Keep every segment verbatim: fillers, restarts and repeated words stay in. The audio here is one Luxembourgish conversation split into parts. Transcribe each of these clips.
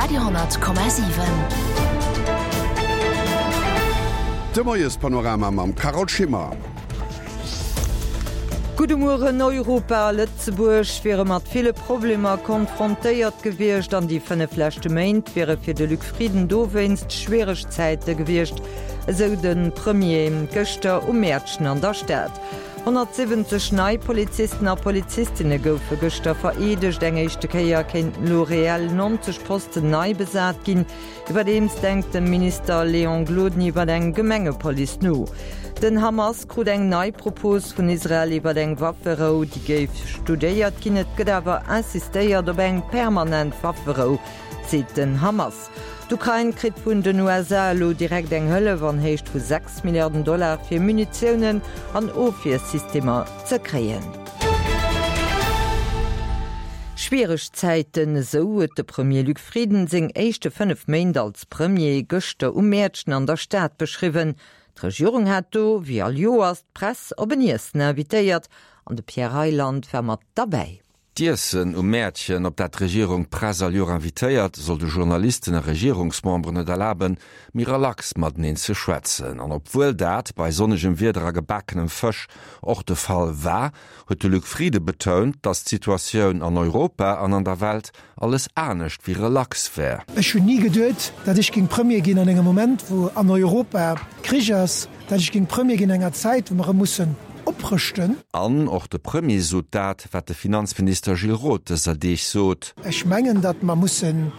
Radio honnert Komma siwen. De Moiespanorama mam Carole Schimmer. Gudde Mueren, Europa a Lëtzebuerg wiere mat ville Problemer konfrontéiert gewiescht an déi fënnef leschte Méint wiere fir de Luc Frieden dowéinst schwiereg Zäite gewiescht, esou de Premier gëschter um Mäertchen an der Stad. honnertsiwwenzeg nei Polizisten a Polizistinne goufe gëschter vereedegt. Eng éischte Kéier kéinten elo reell neunzeg Posten nei besat ginn. Iwwerdeems denkt de Minister Léon Gloden iwwer eng Gemengepolice no. Den Hamas krut eng nei Propos vun Israel iwwer eng Wafferou, déi géif studéiert ginn. Et gëtt awer insistéiert op eng permanent Wafferou, seet den Hamas. D'Ukrain kritt vun den U S A elo direkt eng Hëllef an Héicht vu sechs Milliarden Dollar fir Munitiounen an Ofwiersystemer ze kréien. Schwiereg Zäiten, esou huet de Premier Luc Frieden seng éischte fënnef Méint als Premier gëschter um Mäertchen an der Stad beschriwwen. D'Regierung hat do, wéi all Joers, d'Press op en Iessen invitéiert an de Pierre Reyland war mat derbäi. D'Iessen um Mäertchen, op dat d'Regierung d'Press all Joer invitéiert, soll de Journalisten a Regierungsmemberen et erlaben, méi relax mateneen ze schwätzen. An obwuel dat bei sonnegem Wieder a gebakenem Fësch och de Fall war, huet de Luc Frieden betount, datt d'Situatioun an Europa an an der Welt alles anescht wéi relax wär. Ech hunn ni geduet, datt ech géing Premier ginn an engem Moment, wou an Europa Krich ass, datt ech géing Premier ginn an enger Zäit, wou mer erëm mussen oprëschten. An och de Premier sot dat, wat de Finanzminister Gilles Roth dëser Deeg sot. Ech mengen, datt mer mussen,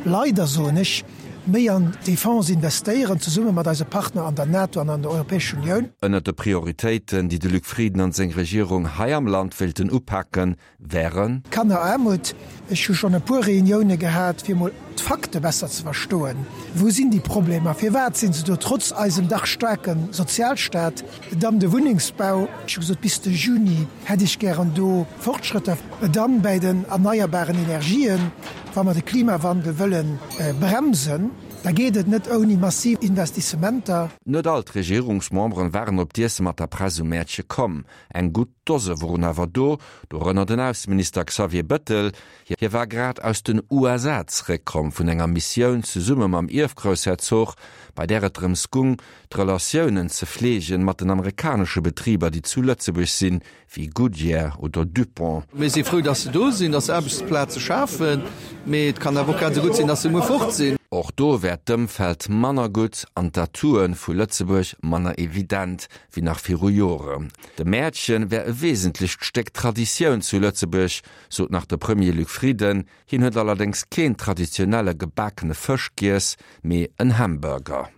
leider soen ech, méi an d'Defense investéieren, zesumme mat eise Partner an der NATO an an der Europäescher Unioun. Ënner de Prioritéiten, déi de Luc Frieden an seng Regierung hei am Land wéilten upaken, wären Kannerarmut. Ech hu schonn e puer Reunioune gehat, fir mol d'Fakte besser ze verstoen. Wou sinn déi Problemer? Firwat sinn se do trotz eisem dach staarke Sozialstaat? Dann de Wunnengsbau. Ech hu gesot, bis de Juni hätt ech gären do Fortschrëtter. Dann bei den erneierbaren Energien, wa mer de Klimawandel wëllen bremsen, da geet et net ouni massiv Investissementer. Net all d'Regierungsmemberen waren op d'Iesse mat der Press um Mäertche komm. Eng gutt Dose woren awer do, dorënner den Ausseminister Xavier Bettel. Hie war grad aus den U S A zeréckkomm vun enger Missioun zesumme mam Ierfgroussherzog, bei där et drëms gung, d'Relatiounen ze fleegen mat den amerikanesche Betriber, déi zu Lëtzebuerg sinn, wéi Goodyear oder Dupont. Mir si frou, datt se do sinn, datt se Aarbechtsplaze schafen, mee et kann awer och grad esou gutt sinn, datt se muer fort sinn. Och do wär d'Ëmfeld manner gutt an d'Atouen vu Lëtzebuerg manner evident wéi nach viru Jore. De Mäertchen wär e wesentlecht Stéck Traditioun zu Lëtzebuerg, sot nach de Premier Luc Frieden. Hien huet allerdéngs keen traditionelle gebakene Fësch giess, mee en Hamburger.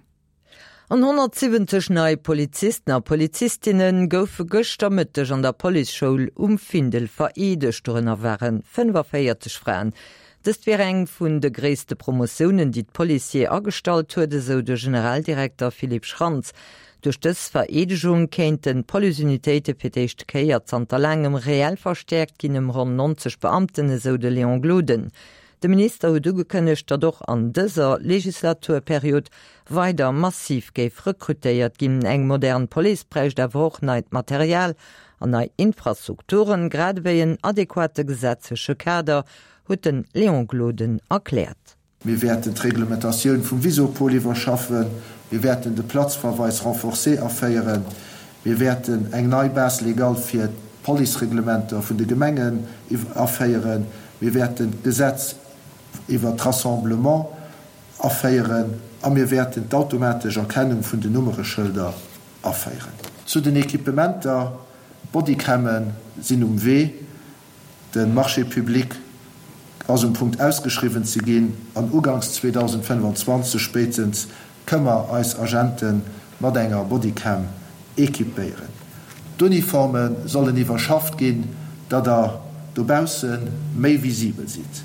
An honnertsiwwenzeg nei Polizisten a Polizistinnen goufe gëschter Mëtteg an der Policeschoul um Findel vereedegt. Dorënner waren fënnefenvéierzeg Fraen. Dëst wär eng vun de gréisste Promotiounen, déi d'Policier agestallt huet, esou de Generaldirekter Philippe Schrantz. Duerch dës Vereedegung kéinten d'Policeunitéite fir d'éischte Kéier zanter laangem reell verstäerkt ginn ëm ronn neunzeg Beamten, esou de Léon Gloden. De Minister huet ugekënnegt, datt och an dëser Legislaturperiod weider massiv géif rekrutéiert ginn. Eng modern Police bräicht awer och neit Material an nei Infrastrukturen, grad ewéi en adequate gesetzleche Kader, huet den Léon Gloden erkläert. Mir wäerten d'Reglementatioun vum Visopol iwwerschaffen, mir wäerten de Platzverweis renforcé aféieren, mir wäerten eng nei Base légale fir d'Policereglementer vun de Gemengen aféieren, mir wäerten d'Gesetz iwwer d'Rassemblement aféieren a mir wäerten d'automatesch Erkennung vun den Nummereschëlder aféieren. Zu den Equipementer, Bodycammen sinn um Wee, de Marché public ass um Punkt ausgeschriwwen ze ginn an ugangs zweitausendfënnefenzwanzeg spéitstens kënne mer eis Agente mat enger Bodycam equipéieren. D'Uniforme sollen iwwerschafft ginn, datt der dobausse méi visibel sidd.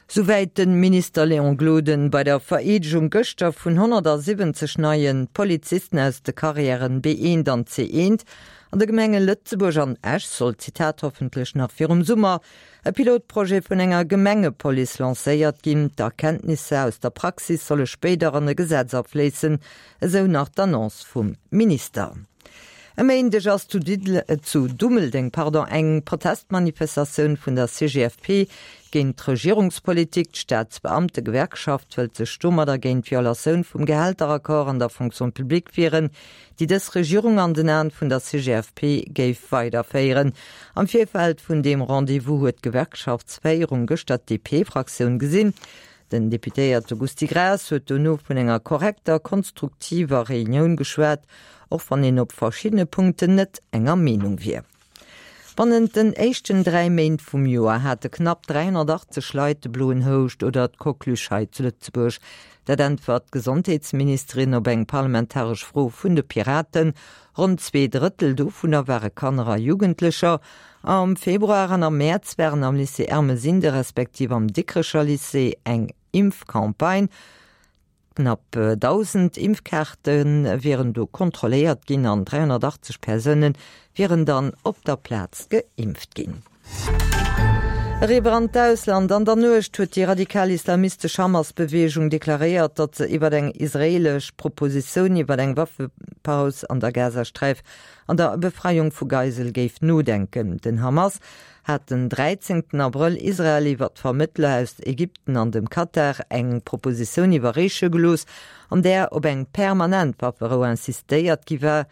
Soweit den Minister Léon Gloden bei der Vereedegung gëschter vun honnertsiwwenzeg neien Polizisten aus de Karriären B eent an C eent an der Gemenge Lëtzebuerg an Esch soll, Zitat, hoffentlich nach virum Summer e Pilotprojet vun enger Gemengepolice lancéiert ginn. D'Erkenntnisse aus der Praxis solle spéider an e Gesetz afléissen, esou nach d'Annonce vum Minister. E Méindeg ass zu Diddel zu Dummeldeng pardon, eng Protestmanifestatioun vun der C G F P géint d'Regierungspolitik. D'Staatsbeamtegewerkschaft wëllt sech domadder géint d'Violatioun vum Gehälteraccord an der Fonction publique wieren, déi dës Regierung an den Aen vun der C G F P géif weiderféieren. Am Virfeld vun deem Rendez-vous huet d'Gewerkschaftsféierung gëschter d'D P-Fraktioun gesinn. Den Deputéierte Gusty Graas huet dono vun enger korrekter, konstruktiver Reunioun geschwat, och wann een op verschiddene Punkten net enger Meenung wier. Bannent den éischten dräi Méint vum Joer hate knapp dräihonnertachtzeg Leit de bloen Houscht oder d'Coqueluche hei zu Lëtzebuerg. Dat äntwert d'Gesondheetsministerin op eng parlamentaresch Fro vun de Piraten. Ronn zwee Drëttel dovunner ware Kanner a Jugendlecher. Am Februar an am Mäerz waren am Lycée Ermesinde respektiv am Dikrecher Lycée eng Impfcampagne. Knapp dausend Impfkaarte wieren do kontrolléiert ginn an dräihonnertachtzeg Persoune wieren dann op der Plaz geimpft ginn. Eriwwer an d'Ausland. An der Nuecht huet déi radikal-islamistesch Hamas-Beweegung deklaréiert, datt se iwwer eng israeelesch Propositioun iwwer eng Waffepaus an der Gazasträif an der Befreiung vu Geisele géif nodenken. Den Hamas hat den dräizéngten Abrëll Israel iwwer d'Vermëttler aus Ägypten an dem Katar eng Propositioun iwwerreeche gelooss, an där op eng permanent Wafferou insistéiert gi war.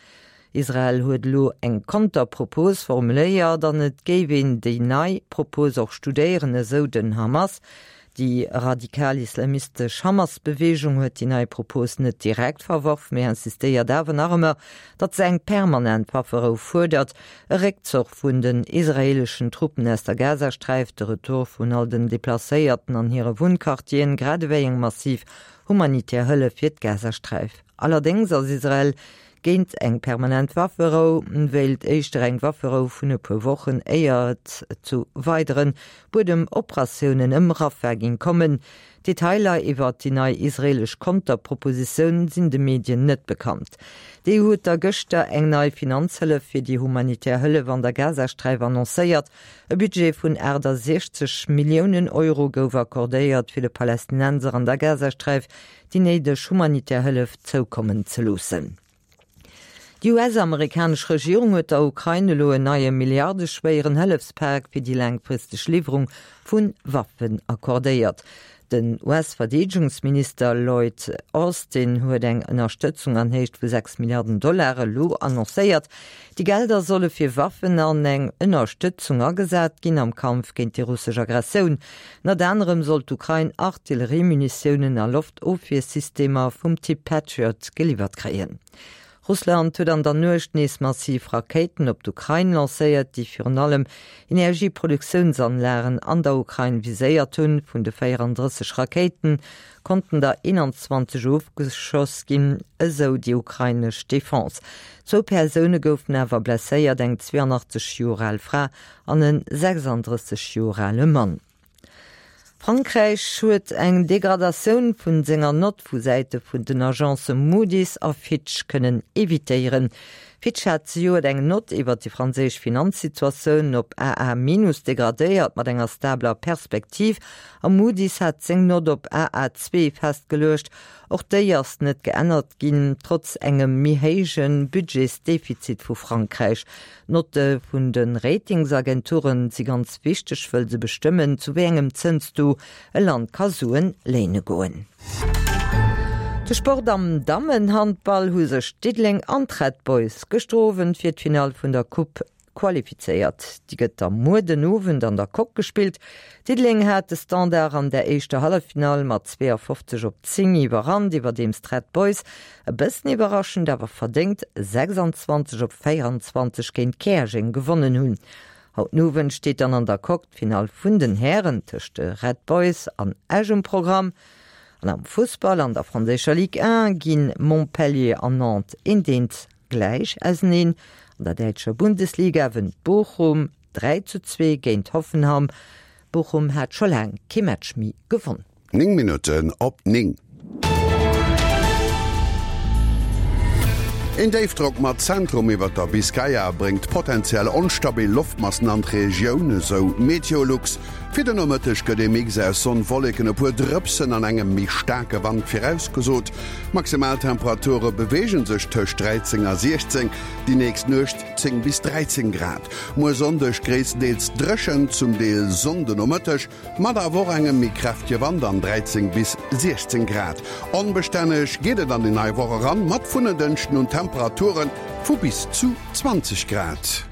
Israel huet elo eng Konterpropos formuléiert an et géif een déi nei Propos och studéieren, esou den Hamas. Déi radikal-islamistesch Hamas-Beweegung huet déi nei Propos net direkt verworf, mee insistéiert awer nach ëmmer, datt se eng permanent Wafferou fuerdert, e Réckzuch vun den israeeleschen Truppen aus der Gazasträif, de Retour vun all den Deplacéierten an hire Wunnquartieren, grad ewéi eng massiv humanitär Hëllef fir d'Gazasträif. Allerdéngs ass Israel géint eng permanent Wafferou, wéilt éischter eng Wafferou vun e puer Wochen, éier et zu weidere Buedemoperatiounen ëm Rafah géing kommen. Detailer iwwer déi nei israeelesch Konterpropositioun sinn de Medien net bekannt. D'E U huet da gëschter eng nei Finanzhëllef fir déi humanitär Hëllef an der Gazasträif annoncéiert. E Budget vun aachtasechzeg Milliounen Euro gouf accordéiert, fir de Palästinenser an der Gazasträif déi néideg humanitär Hëllef zoukommen ze loossen. Déi U S-amerikanesch Regierung huet der Ukrain elo en neie milliardeschwéieren Hëllefspak fir déi laangfristeg Liwwerung vu Waffen accordéiert. Den U S-Verdeedegungsminister Lloyd Austin huet eng Ënnerstëtzung an Héicht vu sechs Milliarden Dollar elo annoncéiert. Déi Gelder solle fir Waffen an eng Ënnerstëtzung agesat ginn am Kampf géint déi russesch Aggressioun. Ënnert anerem soll d'Ukrain Artilleriemunitiounen a Loftofwiersystemer vum Typ Patriot geliwwert kréien. Russland huet an der Nuecht nees massiv Rakéiten op d'Ukrain lancéiert, déi virun allem Energieproduktiounsanlagen an der Ukrain viséiert hunn. Vun de véierandrësseg Rakéiten konnten der eenanzwanzeg ofgeschoss ginn, esou déi ukrainesch Defense. Zwou Persoune goufen awer blesséiert, eng zweeanachtzeg Joer al Fra an en sechsandrësseg Joer ale Mann. Frankräich huet eng Degradatioun vun senger Nott vu Säite vun den Agencë Moody's a Fitch kënnen evitéieren. Fitch hat zejoert eng Nott iwwer déi franséisch Finanzsituatioun op A A minus degradéiert mat enger stabler Perspektiv a Moody's hat seng Nott op A A zwee festgeluecht. Och déi ass net geännert ginn, trotz engem méi héije Budgetsdefizit vu Frankräich. D'Notte vun de Ratingsagenture si ganz wichteg, wëll se bestëmmen, zu wéi engem Zënstaux e Land ka Suen léine goen. De Sport. Am Dammenhandball hu sech Diddeleng an d'Red Boys gëschter Owend fir d'Finall vun der Coupe qualifizéiert. Déi gëtt da muer den Owend an der Coque gespillt. Diddeleng hat de Standard an der éischter Halleffinall mat zweeafofzeg op zéng iwwerrannt, iwwerdeems d'Red Boys e bëssen iwwerraschend awer verdéngt sechsanzwanzeg op véierundzwanzeg géint Käerjeng gewonnen hunn. Haut den Owend steet dann an der Coque d'Finall vun den Hären tëscht de Red Boys an Esch um Programm. An am Fussball an der franséischer Ligue eent ginn Montpellier an Nantes eent eent gläich auseneen. An der däitscher Bundesliga wënnt Bochum dräi zu zwee géint Hoffenheim. Bochum hat scho laang kee Match méi gewonn. Néng Minutten op néng. Een Déifdrock mat Zentrum iwwer der Biskaya bréngt potenziell onstabil Loftmassen an d'Regioun, esou Meteolux. Fir den Nomëtteg gëtt ee Mix aus Sonn, Wolleken, e puer Drëpsen an engem méi staarke Wand virausgesot. D'Maximaltemperature beweege sech tëscht dräizéng a siechzéng, déi nächst Nuecht zéng bis dräizéng Grad. Muer Sonndeg gréisstendeels dréchen, zum Deel Sonn de Nomëtteg, mat awer och engem méi kräftege Wand an dräizéng bis siechzéng Grad. Onbestänneg geet et an déi nei Woch eran, mat vun en Dënschden un Temperature vu bis zu zwanzeg Grad.